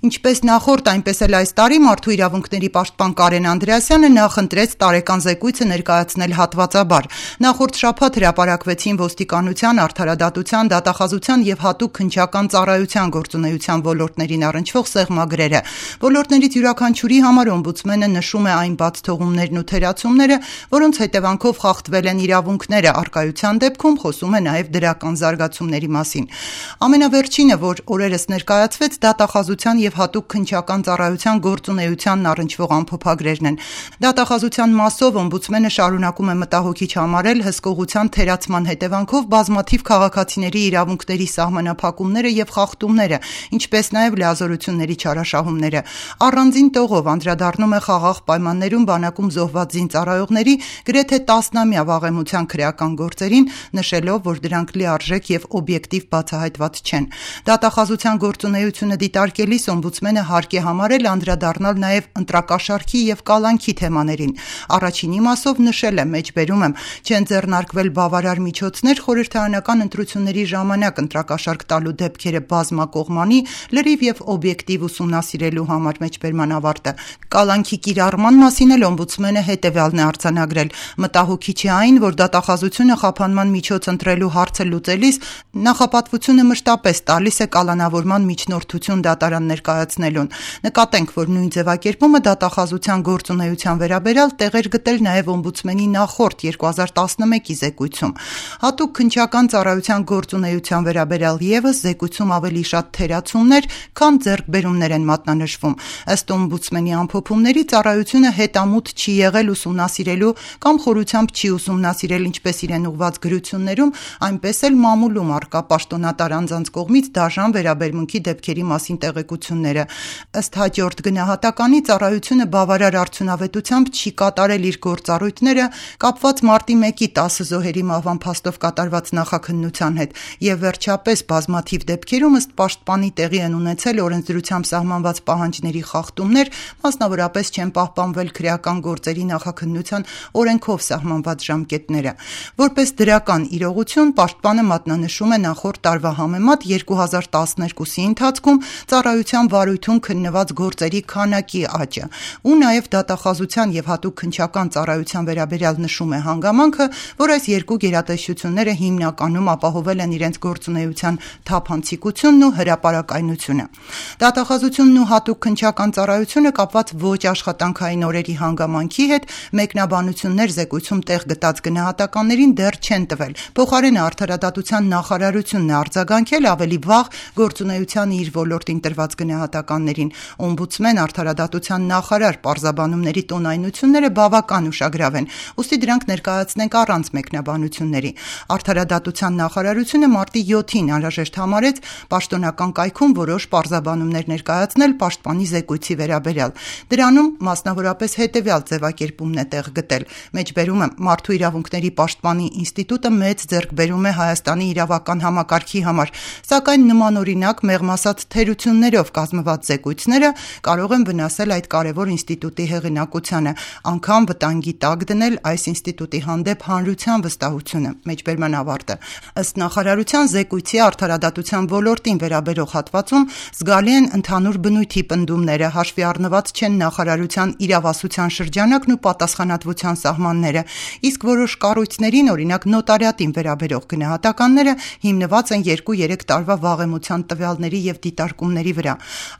Ինչպես նախորդ, այնպես էլ այս տարի Մարդու իրավունքների պաշտպան Կարեն Անդրեասյանը նախընտրեց տարեկան զեկույցը ներկայացնել հատվածաբար։ Նախորդ շաբաթ հրապարակվեցին ոստիկանության, արդարադատության, դատախազության եւ հատուկ քննչական ծառայության գործունեության ոլորտներին առնչվող սեղմագրերը։ Ոլորտներից յուրաքանչյուրի համար օմբուդսմենը նշում է այն բացթողումներն ու թերացումները, որոնց հետևանքով խախտվել են իրավունքները, առկայության դեպքում խոսում է նաեւ դրական զարգացումների մասին։ Ամենավերջինը, որ օրերս ներկայացվեց, դատախազության եւ հատուկ քննչական ծառայության գործունեությանն առնչվող ամփոփագրերն են։ Դատախազության մասով օմբուդսմենը շարունակում է մտահոգիչ համարել հսկողության թերացման հետևանքով բազմաթիվ քաղաքացիների իրավունքների սահմանափակումները եւ խախտումները, ինչպես նաեւ լիազորությունների չարաշահումները։ Առանձին տողով անդրադառնում է խաղաղ պայմաններում բանակում զոհված զինծառայողների գրեթե 10-ամյա վաղեմության քրեական գործերին, նշելով, որ դրանք լիարժեք եւ օբյեկտիվ բացահայտված չեն։ Դատախազության գործունեությունը դիտարկելիս օմբուդսմենը հարկ է համարել անդրադառնալ նաեւ ընտրակաշառքի եւ կալանքի թեմաներին։ Առաջինի մասով նշել է, մեջբերում եմ, չեն ձեռնարկվել բավարար միջոցներ խորհրդարանական ընտրությունների ժամանակ ընտրակաշառք տալու դեպքերը բազմակողմանի, լրիվ եւ օբյեկտիվ ուսումնասիրելու համար, մեջբերման ավարտը։ Կալանքի կիրառման մասին էլ օմբուդսմենը հետեւյալն է արձանագրել. մտահոգիչ է այն, որ դատախազությունը խափանման միջոց ընտրելու հարցը լուծելիս նախապատվությունը մշտապես տալիս է կալանավորման միջնորդություն դատարան ներկայացնելուն։ Նկատենք, որ նույն ձևակերպումը դատախազության գործունեության վերաբերյալ տեղեր գտել նաև օմբուդսմենի նախորդ 2011-ի զեկույցում։ Հատուկ քննչական ծառայության գործունեության վերաբերյալ ևս զեկույցում ավելի շատ թերացումներ, քան ձեռքբերումներ են մատնանշվում։ Ըստ օմբուդսմենի ամփոփումների, ծառայությունը հետամուտ չի եղել ուսումնասիրելու կամ խորությամբ չի ուսումնասիրել ինչպես իրեն ուղված գրություններում, այնպես էլ մամուլում առկա պաշտոնատար անձանց կողմից դաժան վերաբերմունքի դեպքերի մասին տեղեկությունները։ Ըստ հաջորդ գնահատականի, ծառայությունը բավարար արդյունավետությամբ չի կատարել իր գործառույթները կապված մարտի 1-ի 10 զոհերի մահվան փաստով կատարված նախաքննության հետ, եւ վերջապես բազմաթիվ դեպքերում ըստ պաշտպանի տեղի են ունեցել օրենսդրությամբ սահմանված պահանջների խախտումներ, մասնավորապես չեն պահպանվել քրեական գործերի նախաքննության օրենքով սահմանված ժամկետները։ Որպես դրական իրողություն, պաշտպանը մատնանշում է նախորդ տարվա համեմատ 2012-ի ընթացքում ծառայության վարույթում քննված գործերի քանակի աճը, ու նաև դատախազության եւ հատուկ քննչական ծառայության վերաբերյալ նշում է հանգամանքը, որ այս երկու գերատեսչությունները հիմնականում ապահովել են իրենց գործունեության թափանցիկությունն ու հրապարակայնությունը։ Դատախազությունն ու հատուկ քննչական ծառայությունը կապված ոչ աշխատանքային օրերի հանգամանքի հետ մեկնաբանություններ զեկույցում տեղ գտած գնահատականներին դեռ չեն տվել։ Փոխարենը արդարադատության նախարարությունն է արձագանքել ավելի վաղ գործունեության իր ոլորտին տրված գնահատականներին։ Օմբուդսմեն, արդարադատության նախարար պարզաբանումների տոնայնությունները բավական ուշագրավ են, ուստի դրանք ներկայացնենք առանց մեկնաբանությունների։ Արդարադատության նախարարությունը մարտի 7-ին անհրաժեշտ համարեց պաշտոնական կայքում որոշ պարզաբանումներ ներկայացնել պաշտպանի զեկույցի վերաբերյալ։ Դրանում մասնավորապես հետևյալ ձևակերպումն է տեղ գտել. մեջբերում եմ, Մարդու իրավունքների պաշտպանի ինստիտուտը մեծ ձեռքբերում է Հայաստանի իրավական համակարգի համար, սակայն նմանօրինակ մեղմ ասած թերություններով կազմված զեկույցները կարող են վնասել այդ կարևոր ինստիտուտի հեղինակությանը, անգամ վտանգի տակ դնել այս ինստիտուտի հանդեպ հանրության վստահությունը, մեջբերման ավարտը։ Ըստ նախարարության, զեկույցի արդարադատության ոլորտին վերաբերող հատվածում զգալի են ընդհանուր բնույթի պնդումները, հաշվի առնված չեն նախարարության իրավասության շրջանակն ու պատասխանատվության սահմանները, իսկ որոշ կառույցներին, օրինակ նոտարիատին վերաբերող գնահատականները հիմնված են 2-3 տարվա վաղեմության տվյալների եւ դիտարկումների վրա։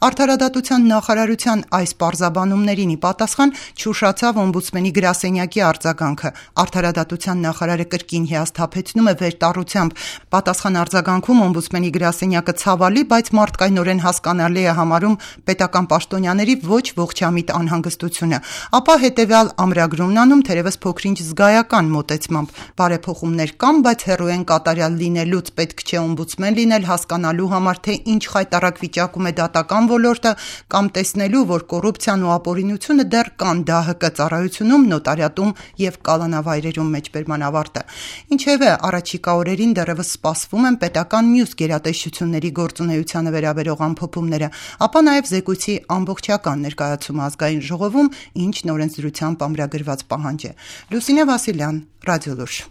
Արդարադատության նախարարության այս պարզաբանումներին ի պատասխան չուշացավ օմբուդսմենի գրասենյակի արձագանքը։ Արդարադատության նախարարը կրկին հիասթափեցնում է վերտառությամբ։ Պատասխան արձագանքում օմբուդսմենի գրասենյակը ցավալի, բայց մարդկայնորեն հասկանալի է համարում պետական պաշտոնյաների ոչ ողջամիտ անհանգստությունը, ապա հետևյալ ամրագրումն անում, թերևս փոքրինչ զգայական մոտեցմամբ. բարեփոխումներ կան, բայց հեռու են կատարյալ լինելուց, պետք չէ օմբուդսմեն լինել հասկանալու համար, թե ինչ խայտառակ վիճակում է դատական ոլորտը, կամ տեսնելու, որ կոռուպցիան ու ապօրինությունը դեռ կան ԴՀԿ ծառայությունում, նոտարիատում եւ կալանավայրերում, մեջբերման ավարտը։ Ինչևէ, առաջիկա օրերին դեռևս սպասվում են պետական մյուս գերատեսչությունների գործունեությանը վերաբերող ամփոփումները, ապա նաեւ զեկույցի ամբողջական ներկայացումը ազգային ժողովում, ինչն օրենսդրությամբ ամրագրված պահանջ է։ Լուսինե Վասիլյան, Ռադիոլուր։